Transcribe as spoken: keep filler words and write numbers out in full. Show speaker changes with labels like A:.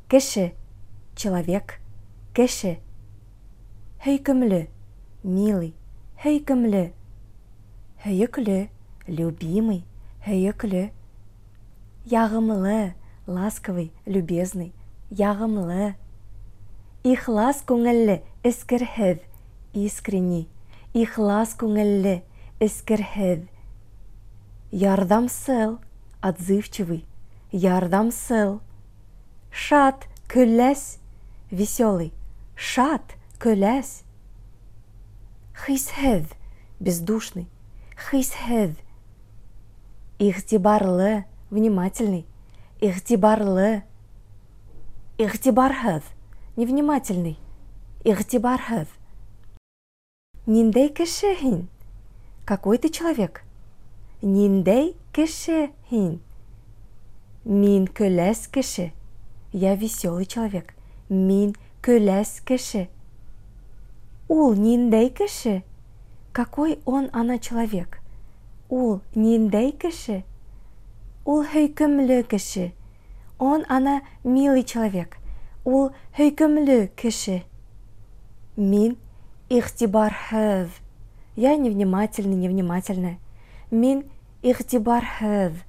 A: Кеше, человек, кеше. Һөйкемле, милый, һөйкемле. Һөйөклө, любимый, һөйөклө. Ягымлы, ласковый, любезный, ягымлы. Ихлас күңелле, эскерһеҙ, искренний. Ихлас күңелле, эскерһеҙ. Ярҙамсыл, отзывчивый, ярҙамсыл. Шат, көләс, веселый. Шат, көләс. Хисһеҙ, бездушный, хисһеҙ. Игътибарлы, внимательный, игътибарлы. Игътибарһыҙ, невнимательный, игътибарһыҙ. Ниндәй кеше һин? Какой ты человек? Ниндәй кеше һин? Мин көләс кеше. Я веселый человек. Мин көләс кеше. Ул ниндәй кеше? Какой он, она человек? Ул ниндәй кеше? Ул һөйкөмлө кеше. Он, она милый человек. Ул һөйкөмлө кеше. Мин игътибарһыҙ. Я невнимательный, невнимательная. Мин игътибарһыҙ.